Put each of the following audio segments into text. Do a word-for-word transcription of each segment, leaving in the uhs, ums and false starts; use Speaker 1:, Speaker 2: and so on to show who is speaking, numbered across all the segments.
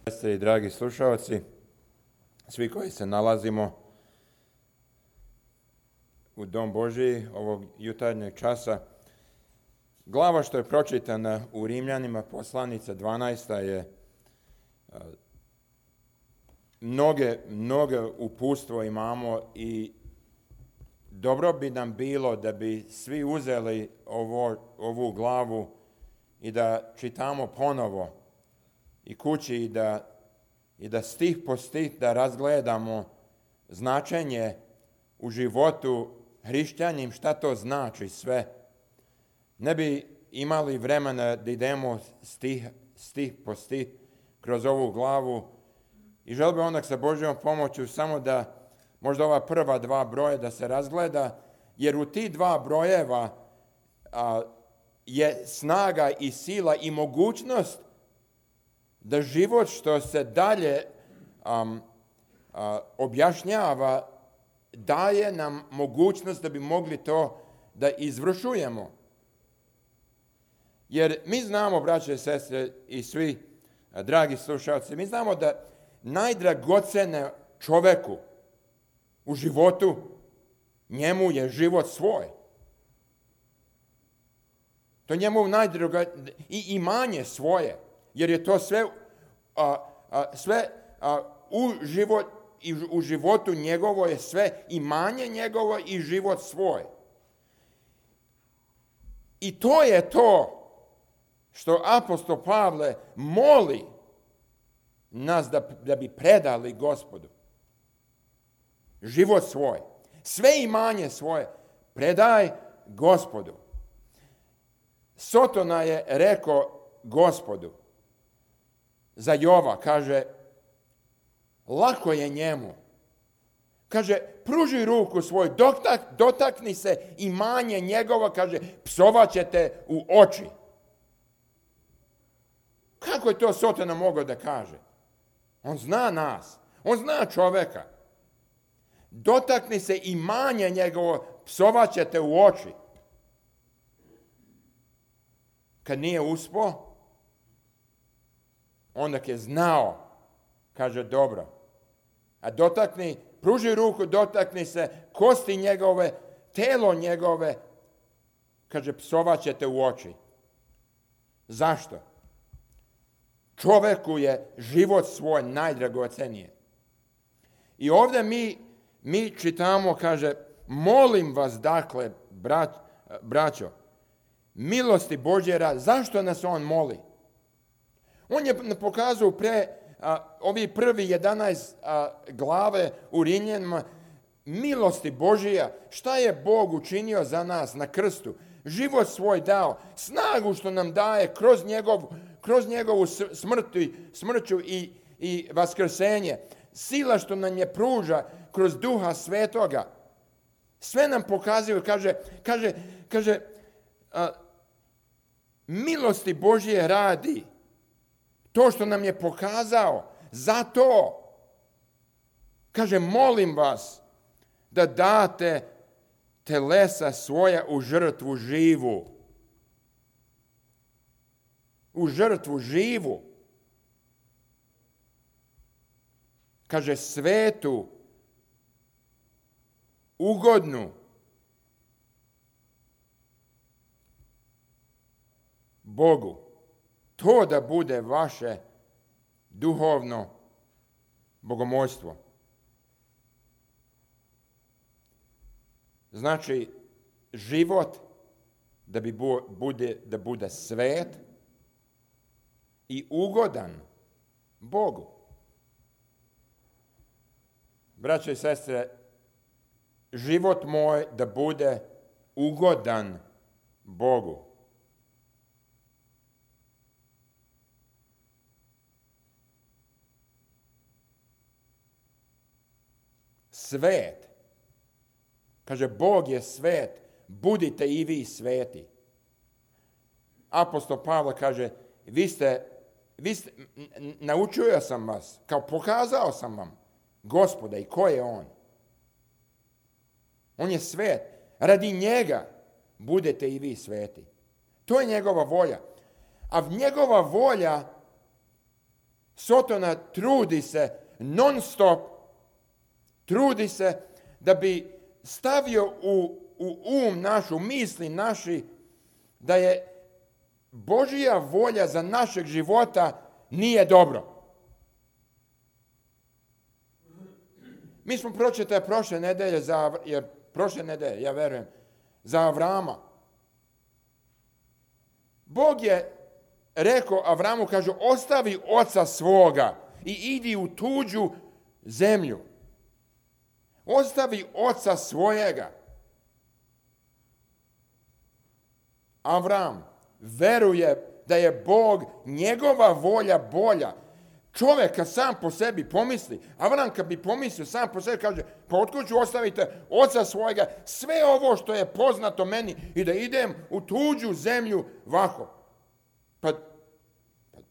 Speaker 1: Sestre i dragi slušalci, svi koji se nalazimo u Dom Božiji ovog jutarnjeg časa, glava što je pročitana u Rimljanima, poslanica dvanaesta je mnoge, mnoge upustvo imamo i dobro bi nam bilo da bi svi uzeli ovo, ovu glavu i da čitamo ponovo i kući i da, i da stih po stih da razgledamo značenje u životu hrišćanim, šta to znači sve. Ne bi imali vremena da idemo stih, stih po stih kroz ovu glavu i želio bi onda sa Božjom pomoću samo da možda ova prva dva broja da se razgleda, jer u ti dva brojeva a, je snaga i sila i mogućnost da život što se dalje um, a, objašnjava daje nam mogućnost da bi mogli to da izvršujemo. Jer mi znamo, braće i sestre i svi a, dragi slušalci, mi znamo da najdragocene čoveku u životu, njemu je život svoj. To njemu najdrago i imanje svoje, jer je to sve, a, a, sve a, u, život, i u životu njegovo je sve imanje njegovo i život svoj. I to je to što apostol Pavle moli nas da, da bi predali Gospodu. Život svoj. Sve imanje svoje predaj Gospodu. Sotona je rekao Gospodu za Jova, kaže, lako je njemu. Kaže, pruži ruku svoj, dotak, dotakni se imanje njegova, kaže, psovat ćete u oči. Kako je to Sotona mogao da kaže? On zna nas, on zna čoveka. Dotakni se imanja njegovo, psovat ćete u oči. Kad nije uspio, onda je znao, kaže dobro. A dotakni, pruži ruku, dotakni se kosti njegove, telo njegove, kaže psovat ćete u oči. Zašto? Čoveku je život svoj najdragocenije. I ovdje mi, mi čitamo, kaže, molim vas dakle, brat, braćo, milosti Božje rad. Zašto nas on moli? On je pokazao pre a, ovi prvi jedanaest a, glave u Rimljanima milosti Božija. Šta je Bog učinio za nas na krstu? Život svoj dao, snagu što nam daje kroz, njegov, kroz njegovu smrtu, smrću i, i vaskrsenje. Sila što nam je pruža kroz Duha Svetoga. Sve nam pokazuju, kaže, kaže, kaže a, milosti Božje radi. To što nam je pokazao, zato, kaže, molim vas da date telesa svoja u žrtvu živu. U žrtvu živu. Kaže, svetu, ugodnu, Bogu. To da bude vaše duhovno bogomolstvo. Znači, život da bi bude, da bude svet i ugodan Bogu. Braće i sestre, život moj da bude ugodan Bogu. Svet. Kaže, Bog je svet, budite i vi sveti. Apostol Pavle kaže, vi ste, vi ste, naučio sam vas, kao pokazao sam vam Gospoda i ko je on. On je svet. Radi njega budete i vi sveti. To je njegova volja. A njegova volja Sotona trudi se non stop, trudi se da bi stavio u, u um našu, misli naši, da je Božja volja za našeg života nije dobro. Mi smo pročitali prošle nedelje, za, jer prošle nedelje, ja verujem, za Avrama. Bog je rekao Avramu, kaže, ostavi oca svoga i idi u tuđu zemlju. Ostavi oca svojega. Avram veruje da je Bog, njegova volja bolja. Čovjek kad sam po sebi pomisli, Avram kad bi pomislio sam po sebi, kaže, pa otkud ću ostaviti oca svojega, sve ovo što je poznato meni i da idem u tuđu zemlju vako. Pa,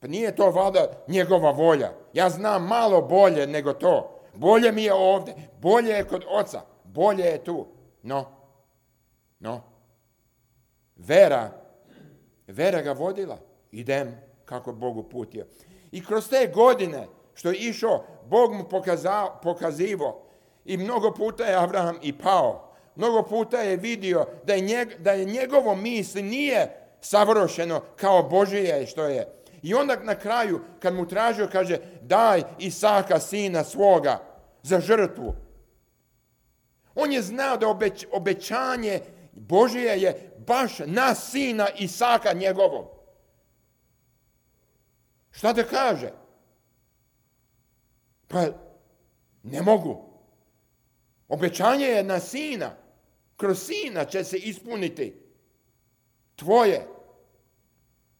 Speaker 1: pa nije to valjda njegova volja. Ja znam malo bolje nego to. Bolje mi je ovdje, bolje je kod oca, bolje je tu. No, no, vera, vera ga vodila. Idem kako Bog uputio. I kroz te godine što je išao, Bog mu pokazao, pokazivo i mnogo puta je Avraham i pao. Mnogo puta je vidio da je, njeg, da je njegovo misli nije savršeno kao Božije što je. I onda na kraju, kad mu tražio, kaže, daj Isaka, sina svoga, za žrtvu. On je znao da obeć, obećanje Božije je baš na sina Isaka njegovog. Šta da kaže? Pa ne mogu. Obećanje je na sina. Kroz sina će se ispuniti tvoje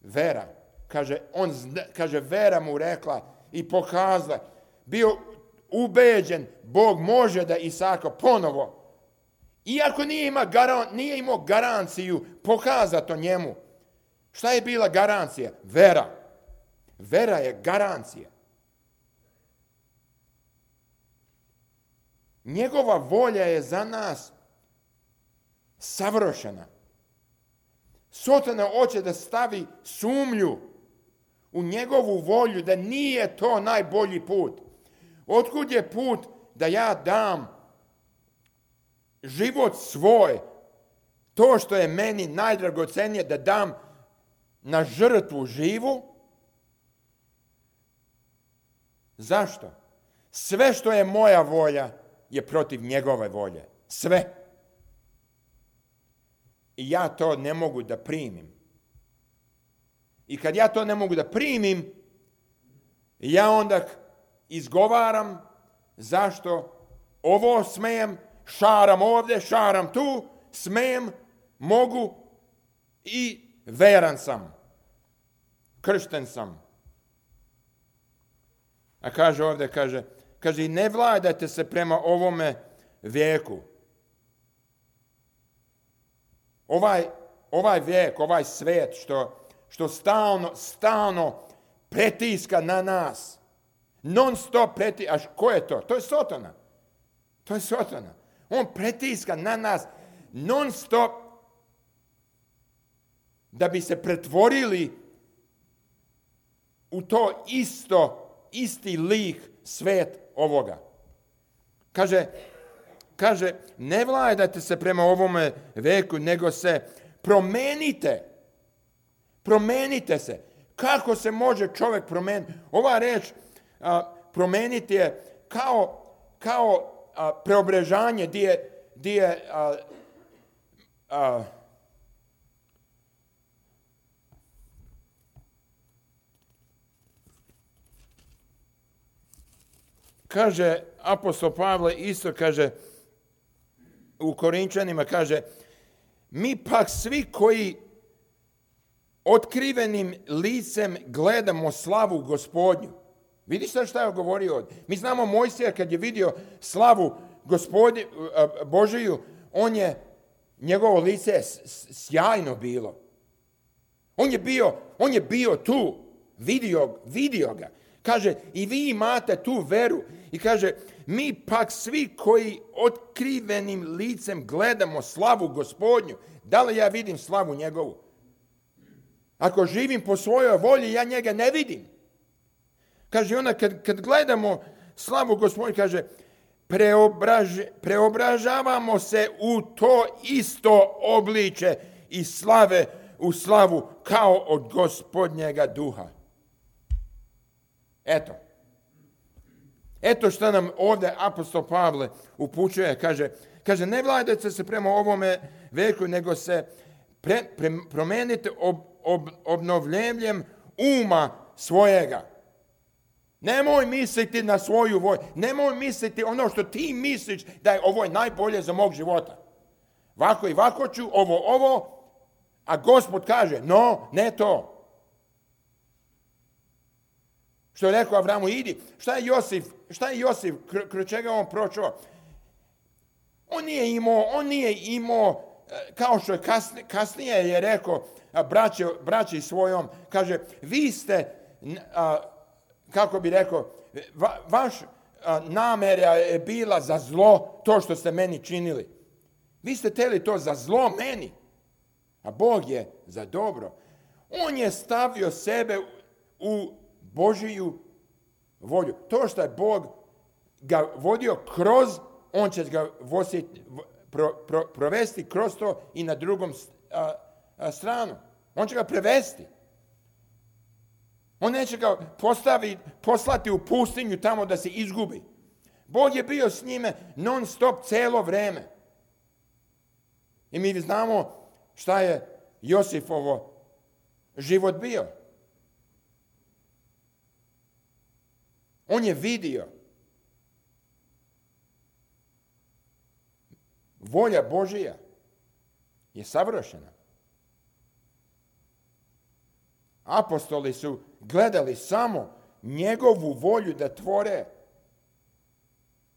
Speaker 1: vera. Kaže, on zna, kaže, vera mu rekla i pokazala. Bio ubeđen, Bog može da Isaka ponovo, iako nije imao, garan, nije imao garanciju, pokazati to njemu. Šta je bila garancija? Vera. Vera je garancija. Njegova volja je za nas savršena. Sotona hoće da stavi sumnju u njegovu volju, da nije to najbolji put. Otkud je put da ja dam život svoj, to što je meni najdragocenije, da dam na žrtvu živu? Zašto? Sve što je moja volja je protiv njegove volje. Sve. I ja to ne mogu da primim. I kad ja to ne mogu da primim, ja onda izgovaram zašto ovo smijem, šaram ovdje, šaram tu, smijem, mogu i veran sam. Kršten sam. A kaže ovdje, kaže, kaže, ne vladajte se prema ovome vijeku. Ovaj, ovaj vijek, ovaj svijet što, što stalno, stalno pretiska na nas. Non stop pretiska. A ko je to? To je Sotona. To je Sotona. On pretiska na nas non stop da bi se pretvorili u to isto, isti lik svet ovoga. Kaže, kaže, ne vladajte se prema ovome veku, nego se promenite. Promenite se. Kako se može čovjek promeniti? Ova reč a, promeniti je kao, kao a, preobrežanje gdje, gdje a, a, kaže apostol Pavle isto, kaže u Korinčanima, kaže, mi pak svi koji otkrivenim licem gledamo slavu Gospodnju. Vidiš sad šta je govorio ovdje? Mi znamo Mojsija kad je vidio slavu Gospodnju, Božiju, on je, njegovo lice je sjajno bilo. On je bio, on je bio tu, vidio, vidio ga. Kaže, i vi imate tu veru. I kaže, mi pak svi koji otkrivenim licem gledamo slavu Gospodnju. Da li ja vidim slavu njegovu? Ako živim po svojoj volji, ja njega ne vidim. Kaže, onda kad, kad gledamo slavu Gospodnju, kaže, preobraž, preobražavamo se u to isto obliče i slave u slavu kao od Gospodnjega duha. Eto. Eto što nam ovdje apostol Pavle upućuje. Kaže, kaže ne vladajte se prema ovome veku, nego se pre, pre, promenite ob, ob, obnovljenjem uma svojega. Nemoj misliti na svoju volju. Nemoj misliti ono što ti misliš da je ovo najbolje za mog života. Vako i vako ću, ovo, ovo, a Gospod kaže, no, ne to. Što je rekao Avramu, idi. Šta je Josif, šta je Josif, kroz čega on prošao? On nije imao, on nije imao, kao što je kasnije, kasnije je rekao braći, braći svojom, kaže, vi ste, a, kako bi rekao, va, vaš a, namjera je bila za zlo, to što ste meni činili. Vi ste htjeli to za zlo meni, a Bog je za dobro. On je stavio sebe u Božiju volju. To što je Bog ga vodio kroz, on će ga vositi, pro, pro, provesti kroz to i na drugom a, a, stranu. On će ga prevesti. On neće ga postavi, poslati u pustinju tamo da se izgubi. Bog je bio s njime non stop cijelo vrijeme. I mi znamo šta je Josifovo život bio. On je vidio. Volja Božija je savršena. Apostoli su gledali samo njegovu volju da tvore.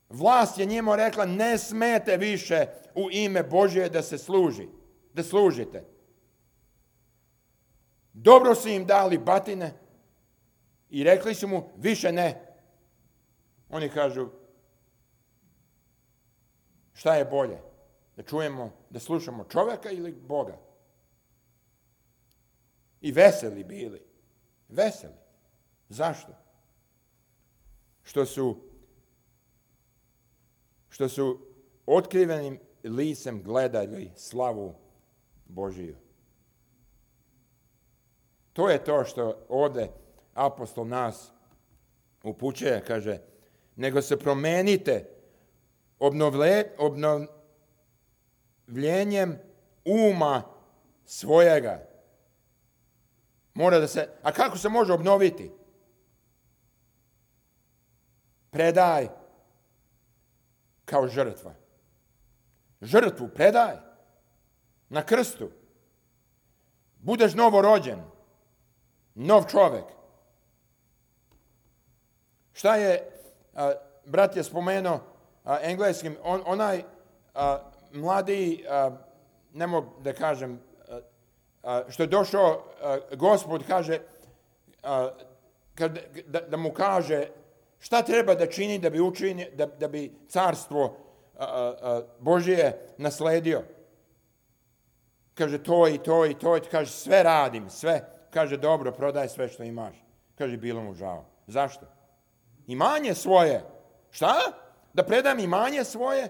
Speaker 1: Vlast je njima rekla, ne smete više u ime Božje da se služi, da služite. Dobro su im dali batine i rekli su mu, više ne. Oni kažu, šta je bolje? Da čujemo, da slušamo čovjeka ili Boga? I veseli bili. Veseli. Zašto? Što su, što su otkrivenim licem gledali slavu Božiju. To je to što ovdje apostol nas upućuje, kaže, nego se promenite obnovle, obnovljenjem uma svojega. Mora da se, a kako se može obnoviti? Predaj kao žrtva. Žrtvu predaj na krstu. Budeš novorođen, nov čovjek. Šta je, a, brat je spomenuo a, engleskim, on, onaj a, mladi, a, ne mogu da kažem, a, a, što je došao a, Gospod, kaže, a, kad, da, da mu kaže šta treba da čini da bi, učini, da, da bi carstvo a, a, Božije nasledio. Kaže to i to i to, kaže sve radim, sve. Kaže dobro, prodaj sve što imaš. Kaže bilo mu žao. Zašto? Imanje svoje. Šta? Da predam imanje svoje?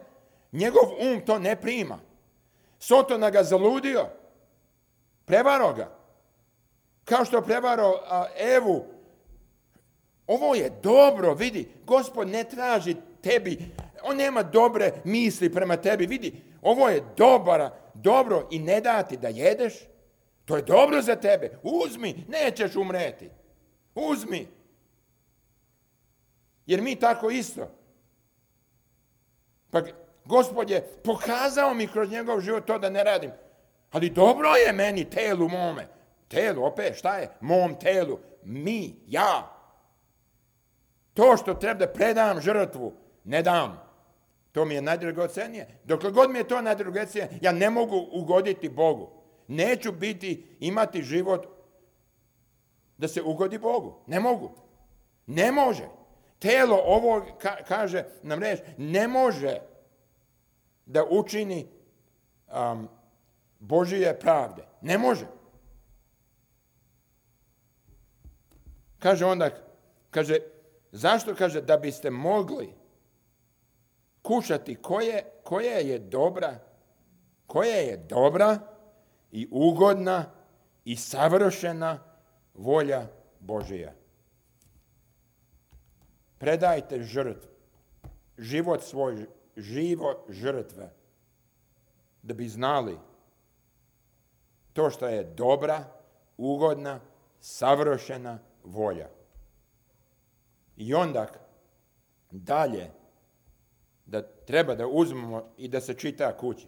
Speaker 1: Njegov um to ne prima. Sotona ga zaludio. Prevaro ga. Kao što prevaro a, Evu. Ovo je dobro, vidi. Gospod ne traži tebi. On nema dobre misli prema tebi. Vidi, ovo je dobra, dobro i ne dati da jedeš. To je dobro za tebe. Uzmi, nećeš umreti. Uzmi. Jer mi tako isto. Pa Gospod je pokazao mi kroz njegov život to da ne radim. Ali dobro je meni, telu mome. Telu, opet, šta je? Mom telu. Mi, ja. To što treba da predam žrtvu, ne dam. To mi je najdragocenije. Dokle god mi je to najdragocenije, ja ne mogu ugoditi Bogu. Neću biti, imati život da se ugodi Bogu. Ne mogu. Ne može. Telo ovo ka, kaže nam reč, ne može da učini um, Božije pravde. Ne može. Kaže onda, kaže, Zašto? Kaže, da biste mogli kušati koje, koja je dobra, koja je dobra i ugodna i savršena volja Božija. Predajte žrtvu, život svoj, živo žrtve, da bi znali to što je dobra, ugodna, savršena volja. I onda dalje da treba da uzmemo i da se čita kući.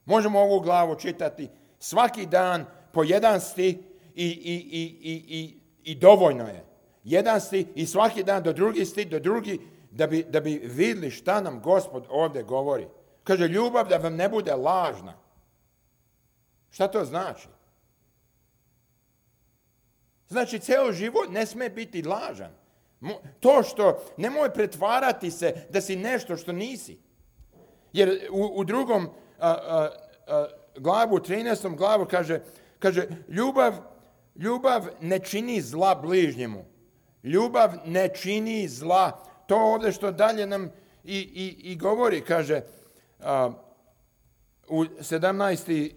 Speaker 1: Možemo ovu glavu čitati svaki dan po jedan stih i, i, i, i, i, i dovoljno je. Jedan stih i svaki dan do drugi stih, do drugi, da bi, da bi vidjeli šta nam Gospod ovdje govori. Kaže, ljubav da vam ne bude lažna. Šta to znači? Znači, cijeli život ne smije biti lažan. To što, nemoj pretvarati se da si nešto što nisi. Jer u, u drugom a, a, a, glavu, trinaestom glavu kaže, kaže ljubav, ljubav ne čini zla bližnjemu. Ljubav ne čini zla. To ovdje što dalje nam i, i, i govori, kaže, a, u sedamnaesti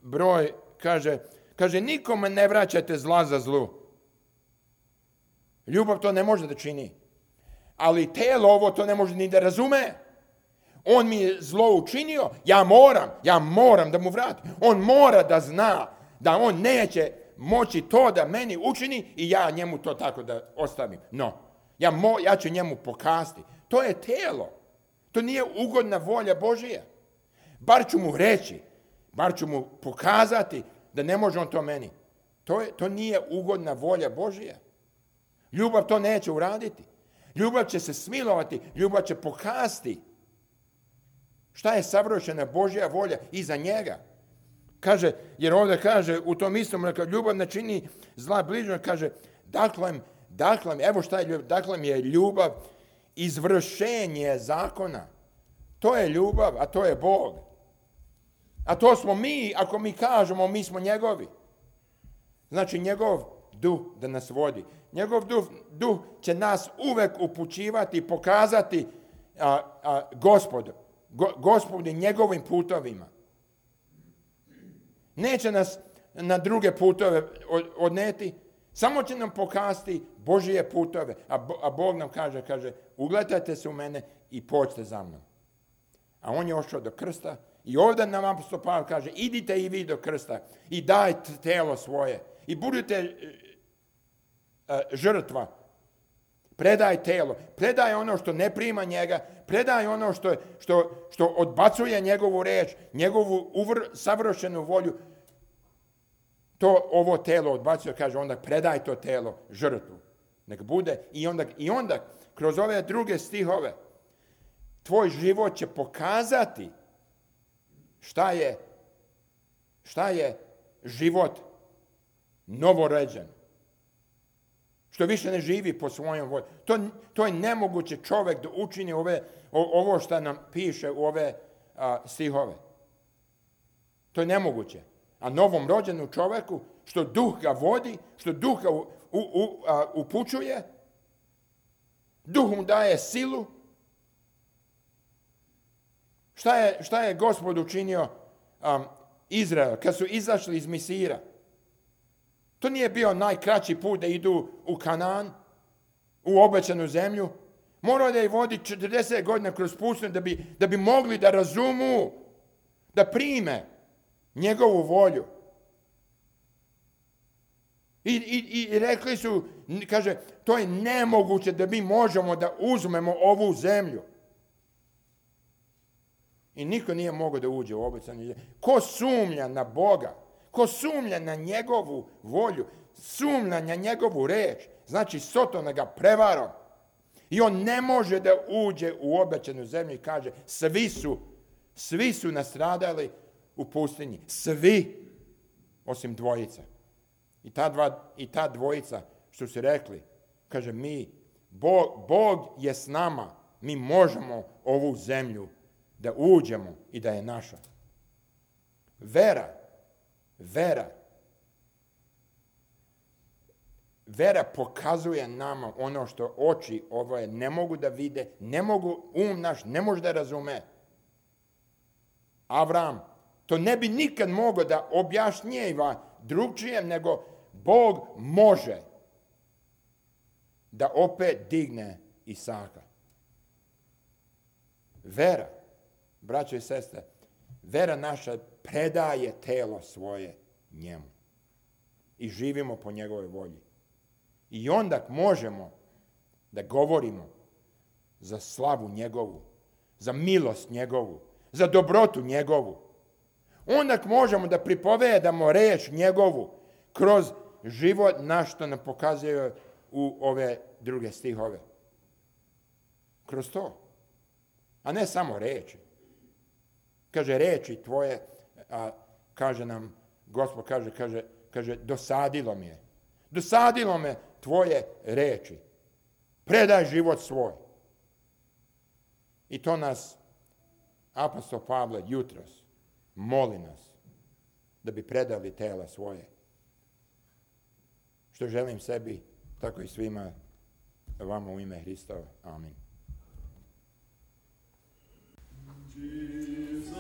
Speaker 1: broj, kaže, kaže, nikome ne vraćate zla za zlu. Ljubav to ne može da čini. Ali tijelo ovo to ne može ni da razume. On mi je zlo učinio, ja moram, ja moram da mu vratim. On mora da zna da on neće moći to da meni učini i ja njemu to tako da ostavim. No, ja, mo, ja ću njemu pokazati. To je tijelo. To nije ugodna volja Božija. Bar ću mu reći, bar ću mu pokazati da ne može on to meni. To, je, to nije ugodna volja Božija. Ljubav to neće uraditi. Ljubav će se smilovati, ljubav će pokazati šta je savršena Božja volja iza njega. Kaže, jer ovdje kaže, u tom istom, ljubav ne čini zla bližnjemu, kaže, dakle, dakle, evo šta je ljubav, dakle je ljubav izvršenje zakona. To je ljubav, a to je Bog. A to smo mi, ako mi kažemo, mi smo njegovi. Znači, njegov duh da nas vodi. Njegov duh, duh će nas uvek upućivati i pokazati a, a, gospodu. Go, gospodi njegovim putovima. Neće nas na druge putove odneti, samo će nam pokazati Božije putove. A, a Bog nam kaže, kaže, ugledajte se u mene i pođite za mnom. A on je ošao do krsta i ovdje nam apostol Pavle kaže, idite i vi do krsta i dajte telo svoje i budite uh, žrtva. Predaj telo, predaj ono što ne prima njega, predaj ono što, što, što odbacuje njegovu reč, njegovu uvr, savršenu volju. To ovo telo odbacuje, kaže, onda predaj to telo žrtvu. Nek bude i onda, i onda kroz ove druge stihove tvoj život će pokazati šta je, šta je život novorođen. Što više ne živi po svojom volji. To, to je nemoguće čovjek da učini ove, o, ovo što nam piše u ove a, stihove. To je nemoguće. A novom rođenu čovjeku, što duh ga vodi, što duh ga u, u, u, a, upućuje, duh mu daje silu. Šta je, šta je Gospod učinio um, Izrael kad su izašli iz Misira? To nije bio najkraći put da idu u Kanaan, u obećanu zemlju. Morao da ih vodi četrdeset godina kroz pustinju da bi, da bi mogli da razumu, da prime njegovu volju. I, i, i rekli su, kaže, to je nemoguće da mi možemo da uzmemo ovu zemlju. I niko nije mogao da uđe u obećanu zemlju. Ko sumnja na Boga? Ko sumnja na njegovu volju, sumnja na njegovu reč, znači Sotona ga prevarao. I on ne može da uđe u obećanu zemlju i kaže, svi su, svi su nastradali u pustinji. Svi, osim dvojica. I ta, dva, i ta dvojica, što su rekli, kaže, mi, Bog, Bog je s nama, mi možemo ovu zemlju da uđemo i da je naša. Vera. Vera. vera pokazuje nama ono što oči ove ne mogu da vide, ne mogu, um naš ne može da razume. Avram to ne bi nikad mogao da objašnjeva drugčije, nego Bog može da opet digne Isaka. Vera, braćo i sestre, vera naša predaje telo svoje njemu i živimo po njegovoj volji. I onda možemo da govorimo za slavu njegovu, za milost njegovu, za dobrotu njegovu. Onda možemo da pripovedamo reč njegovu kroz život naš, što nam pokazuje u ove druge stihove. Kroz to. A ne samo reči. Kaže, reči tvoje, a kaže nam, Gospod kaže, kaže, kaže, dosadilo mi je. Dosadilo me tvoje reči. Predaj život svoj. I to nas apostol Pavle jutros moli nas da bi predali tela svoje. Što želim sebi, tako i svima vama u ime Hristova. Amin.